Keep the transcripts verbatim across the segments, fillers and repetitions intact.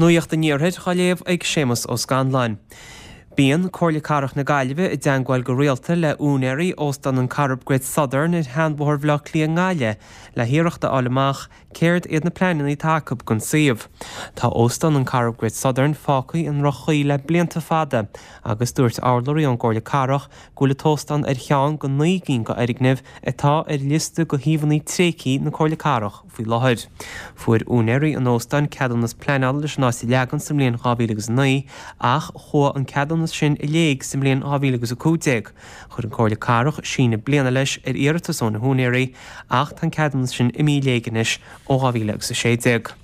Nuacht an Iarthair á léamh ag Séamus Ó Scanláin. Bíonn Comhairle Cathrach na Gaillimhe i dteagmháil go rialta le úinéirí óstán an Corrib Great Southern ar Sheanbhóthar Bhaile Átha Cliath i nGaillimh le hiarracht a fháil amach céard iad na pleananna atá acu don suíomh. Tá óstán an Corrib Great Southern fágtha i ndroch-chaoi le blianta fada agus dúirt urlabhraí ón gComhairle Cathrach go bhfuil an t-óstán ar cheann de naoi gcinn d'fhoirgnimh atá ar liosta de shuíomhanna tréigthe na Comhairle Cathrach faoi láthair. Fuair úinéirí an óstáin ceadúnas pleanála leis an áit a leagan sa mbliain dhá mhíle agus a naoi ach chuaigh an ceadúnas sin i léig sa mbliain dhá mhíle agus a cúig déag. Chuir an Comhairle Cathrach síneadh bliana leis ar iarratas ó na húinéirí ach tá an ceadúnas sin imithe i léig anois ó dhá mhíle agus a sé déag.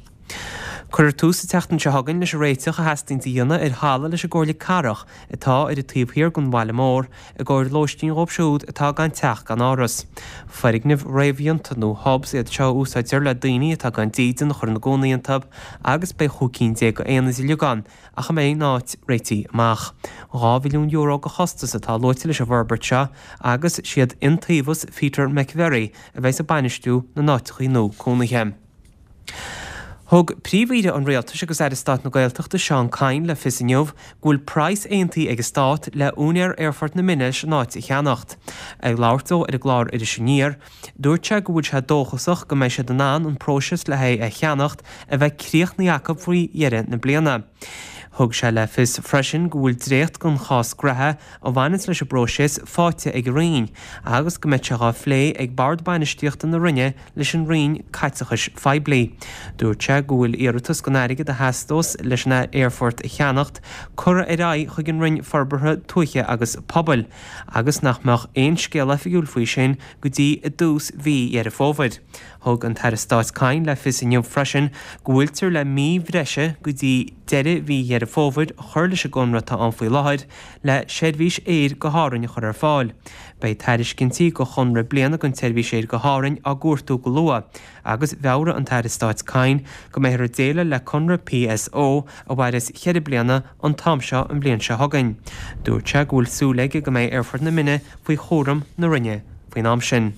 Cuirfear tús an tseachtain seo chugainn leis an réiteach a theastaíonn a dhéanamh ar halla leis an gComhairle Cathrach atá ar an taobh thiar den bhaile mór i gcomhair lóistín dhóibh siúd atá gan teach gan áras. Foirgnimh réamhdhéanta nó hubs iad seo a úsáidtear le daoine atá gan dídean a chur ina gcónaí iontu agus beidh chúig cinn déag d'aonaid uilig ann ach a mbeidh an áit réitithe amach. Dhá mhilliún euro de chostas atá luaite leis an bhforbairt seo agus siad Iontaobhas Peter McVerry a bheidh ag bainistiú na n-áiteachaí nua cónaithe. Thug Príomh-Aoire an Rialtais agus Aire Stáit na Gaeltachta Seán Kyne le fios inniu go bhfuil praghas aontaithe ag an Stát le úinéir Aerfort na Minne leis an áit a cheannacht. Ag labhairt dó ar an gclár Iris Aniar, dúirt sé go bhfuil sé dóchasach go mbeidh siad in ann an próiseas le haghaidh é a cheannacht a bheith críochnaithe acu faoi dheireadh na bliana. Thug sé le fios freisin go bhfuil dréacht den chás graithe a bhaineanns leis an bpróiseas faighte ag an Roinn agus go mbeidh sé dhá phlé ag Bord Bainistíochta na Roinne leis an Roinn Caiteachais Phoiblí. Dúirt sé go bhfuil iarratas don airgead a theastós leis an aerfort a cheannacht curtha ar aghaidh chuig an Roinn Forbartha Tuaithe agus Pobail agus nach mbeadh aon scéal oifigiúil faoi sin go dtí i dtús mhí Dheireadh Fómhair. Thug an tAire Stáit Kyne le fios inniu freisin go bhfuiltear le mí bhreise go dtí deireadh mhí Dheireadh Fómhair a chur leis an gconradh atá ann faoi láthair le seirbhís aeir go hÁrainn a chur ar fáil. Beidh tairiscintí do chonradh bliana don tseirbhís aeir go hÁrainn á gcuartú go luath agus mheabhraigh an tAire Stáit Kyne go mbeifear ag déileáil le conradh PSO a mhairfeas cheithre bliana an t-am seo an bhliain seo chugainn. Dúirt sé go bhfuil súil aige go mbeidh Aerfort na Minne faoi chúram na Roinne faoin am sin.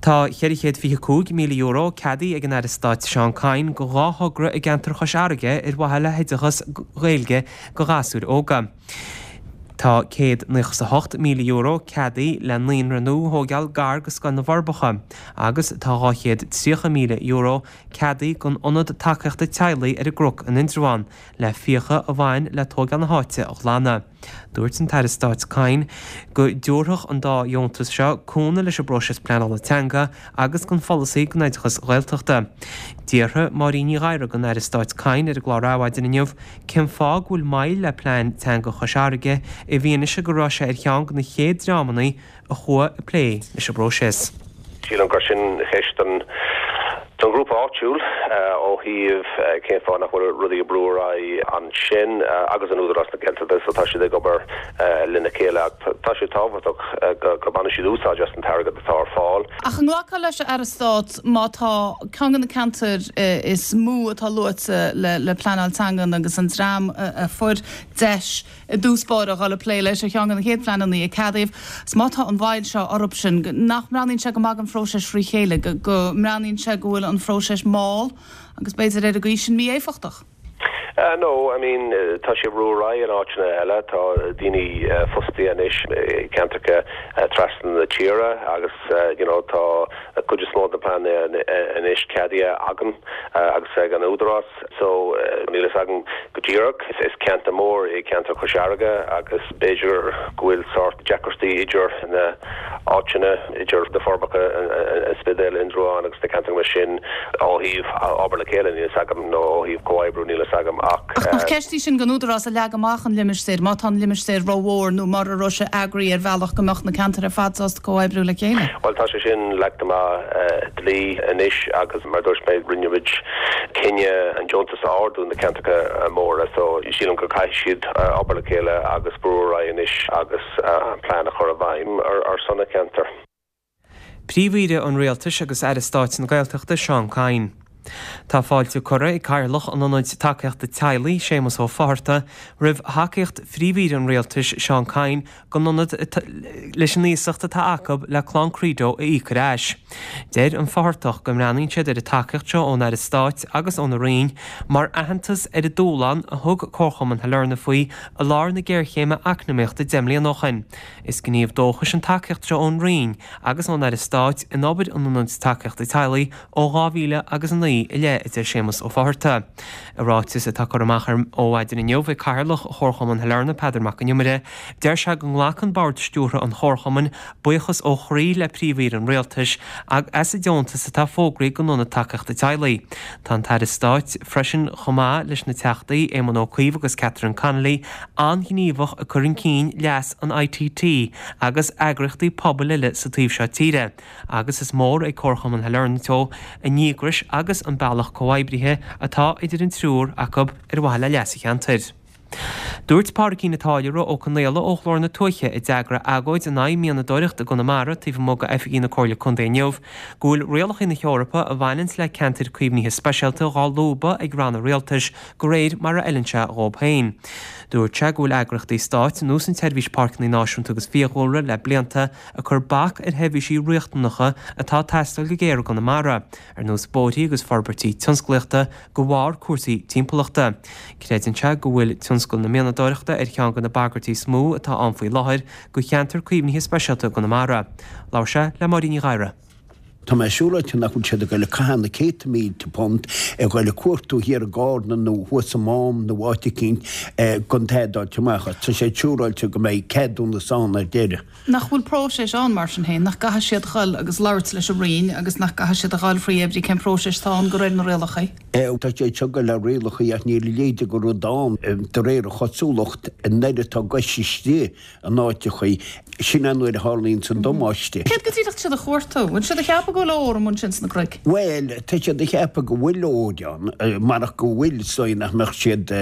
Tá ceithre chéad fiche cúig míle euro ceadaithe ag an Aire Stáit Seán Kyne do dhá thogra i gceantar Chois Fharraige ar mhaithe le hoideachas Gaeilge do ghasúir óga. Tá céad naocha is a hocht míle euro ceadaithe le naíonra nua a thógáil gar do Scoil na bhForbacha agus tá dhá chéad tríocha míle euro ceadaithe don Ionad Tacaíochta Teaghlaigh ar an gCnoc in Indreabhán le fiacha a bhain le tógáil na háite a ghlanadh. Dúirt an tAire Stáit Kyne go dtabharfadh an dá dheontas seo cúnamh leis an bpróiseas pleanála teanga agus don pholasaí don oideachas Ghaeltachta. D'fhiafraigh Máirín Ní Ghadhra den Aire Stáit Kyne ar an gclár Adhmhaidin inniu cén fáth go bhfuil moill le plean teanga Chois Fharraige i bhfianaise go raibh sé ar cheann de na chéad dreamanna a chuaigh ag plé leis an bpróiseas. Sílim gur sin ceist don don ghrúpa áitiúil ó thaobh cén fáth nach bhfuil rudaí ag brú ar aghaidh ansin agus an Údarás na Gaeltachta so tá siad ag obair lena chéile ach tá sé tábhachtach go go mbaineann siad úsáid as an t-airgead atá ar fáil. Ach an nglacfá leis a Aire Stáit má tá ceann de na ceantair is mó atá luaite le le pleanáil teanga agus an dream a fuair deis i dtús báire a dhul ag plé leis ar cheann de na chéad phleananna a ceadaíodh. Is má tá an mhoill seo orthu sin, nach mbreathnaíonn sé go maith don phróiseas trí chéile, go mbreathnaíonn sé go bhfuil an phróiseas mall agus b'fhéidir ar an gcaoi sin mí-éifeachtach. Uh, no, I mean tá sé brú ar aghaidh in áiteanna eile tá daoine uh, fostaithe anois i gceantracha uh, trasna na tíre agus uh, you know, tá cuid is mó de plean anois ceadaithe agam uh, agus ag an údarás so uh, níl a fhios agam go díreach is, is ceantar mór é ceantar Chois Fharraige agus b'fhéidir go bhfuil sórt deacrachtaí idir na áiteanna idir na Forbacha an Spidéal Indreabhán agus na ceantar sin ó thaobh obair le chéile níl a fhios agam nó ó thaobh comhoibriú níl a fhios agam ach Ach nach ceist í sin don údarás a leag amach an limistéir, má tá an limistéir rómhór nó mar a raibh sé eagraithe ar bhealach go mbeadh na ceantair ar fad sásta comhoibriú le chéile. Well tá sé sin leagtha amach uh, dlí anois agus mar dúirt mé rinne muid cinneadh an deontas a ardú na ceantracha móra so sílim go gcaithfidh siad uh, obair le chéile agus brú ar aghaidh anois agus uh, an plean a chur i bhfeidhm ar, ar son na ceantar. Príomh-Aoire an Rialtais agus Aire Stáit na Gaeltachta Seán Kyne. Tá fáilte curtha ag Cathaoirleach an Ionaid Tacaíochta Teaghlaigh, Séamus Ó Fátharta, roimh thacaíocht Phríomh-Aoire an Rialtais, Seán Kyne, don ionad leis an iasacht atá acu le Clann Credo a íoc ar ais. Deir an Fáthartach go mbreathnaíonn siad ar an tacaíocht seo ón Aire Stáit agus óna Roinn mar aitheantas ar an dúshlán a thug Comharchumann Shailearna faoi i lár na géarchéime eacnamaíochta deich mbliana ó shin. Is gníomh dóchais an tacaíocht seo ón Roinn agus ón Aire Stáit in obair an Ionaid Tacaíochta Teaghlaigh ó dhá mhíle agus a naoi i leith, a deir Séamus Ó Fátharta. I ráiteas atá curtha amach ar maidin inniu ag Cathaoirleach Chomharchumann Shailearna, Peadar Mac Con Iomaire, deir sé go nglacann Bord Stiúrtha an Chomharchumainn buíochas ó chroí le Príomh-Aoire an Rialtais as an deontas atá fógraithe don Ionad Tacaíochta Teaghlaigh. Tá an tAire Stáit freisin, chomh maith leis na Teachtaí Éamon Ó Cuív agus Catherine Connolly, an-ghníomhach ag cur chun cinn leas an I T T agus eagraíochtaí pobail eile sa taobh seo tíre, agus is mór ag Comharchumann Shailearna Teo a ndíograis agus an bealach comhoibrithe atá idir an triúr acu ar mhaithe le leas an cheantair. Dúirt Pádraigín an Táilliúra Ó Conaola ó Ghlór na Tuaithe, a d'eagraigh agóid in aghaidh mianadóireacht i gConamara taobh amuigh d'oifigí na Comhairle Contae inniu, go bhfuil rialacha na hEorpa a bhaineanns le ceantair caomhnaithe speisialta dhá lúbadh ag ranna rialtais de réir mar a fheileann sé dhóibh féin. Dúirt sé go bhfuil eagraíochtaí stáit ar nós an tSeirbhís Páirceanna Náisiúnta agus Fiadhúlra le blianta ag cur bac ar sheirbhísí riachtanacha atá ag teastáil go géar i gConamara, ar nós bóithrí agus forbairtí tionsclaíochta de bharr cúrsaí timpeallachta. Creideann sé go bhfuil tionscal na mianadóireachta ar cheann de na bagairtí is mó atá ann faoi láthair do cheantar caomhnaithe speisialta Chonamara. Labhair sé le Máirín Ní Ghadhra. Tá mé siúráilte nach bhfuil siad ag goil ag caitheamh na céadta mílte punt ag goil ag cuartú thiar i gCarna nó thuas i Mám nó áit eicínt don t-adaimh amach. Tá sé siúráilte go mbeidh ceadúnas ann ar deireadh. Nach bhfuil próiseas ann mar sin féin, nach gcaithfidh siad dhul agus labhairt leis an Roinn agus nach gcaithfidh siad a dhul faoi oibrí cén próiseas atá ann de réir na rialacha? Tá sé seo go le rialacha ach níl a leithéid de rud ann de réir a chosúlacht an nuair atá gais istigh in áiteachaí sin an nuair a tharlaíonn an damáiste. Céard go díreach siad a chuartú, bhfuil siad a cheapadh go bhfuil ór ansin sna cnoic? Well, tá siad a cheapadh go bhfuil ór ann marach go bhfuil so nach mbeadh siad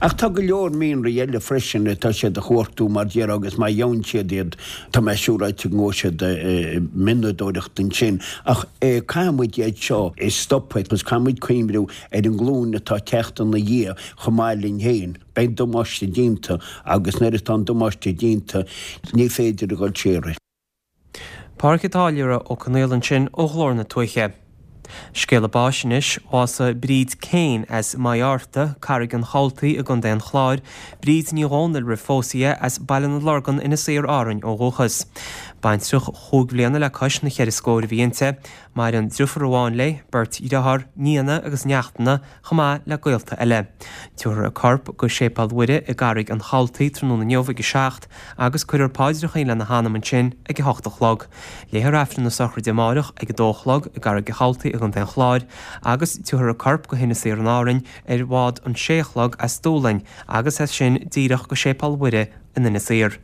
ach tá go leor mianraí eile freisin atá siad a chuartú mar déarfá agus má gheobhann siad iad tá mé siúráilte go ngabhfaidh siad mianadóireacht ansin ach caithfidh muid iad seo a stopadh agus caithfidh muid cuimhniú ar an nglúin atá ag teacht ina dhiaidh chomh maith linn féin. Beidh damáiste déanta agus nuair atá an damáiste déanta ní féidir a dhul siar. Pádraig an Táilliúra Ó Conaola ansin ó Ghlór na Tuaithe. Scéala báis anois bhásaigh Bríd Kane as Maigh Árta, Carraig an Chabhaltaigh i gContae an Chláir, Bríd Ní Dhomhnaill roimh phósadh di as Baile na Lorgan Inis Oírr Árainn ó dhúchas. Baintreach chúig bhliana le cois na ceithre scór a bhí inti, Maireann deirfiúr amháin léi, beirt dhearthár, nianna agus neachtanna chomh maith le gaolta eile. Tabharfar a corp go Séipéal Mhuire i gCarraig an Chabhaltaigh tráthnóna inniu ag a seacht agus cuirfear paidreacha lena hanam ansin ag a hocht a chlog. Léifear Aifreann na sochraide amárach ag a dó a chlog i gCarraig an Chabhaltaigh i gContae an Chláir agus tabharfar a corp go hInis Oírr in Árainn ar bhád an sé a chlog as Dúlainn agus as sin díreach go Séipéal Mhuire in Inis Oírr.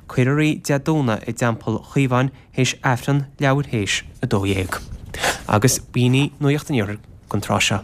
Cuirfear í Dé Domhnaigh i dTeampall Chaomháin théis Aifreann leathuair théis a dó dhéag. Agus b'in í Nuacht an Iarthair don tráth seo.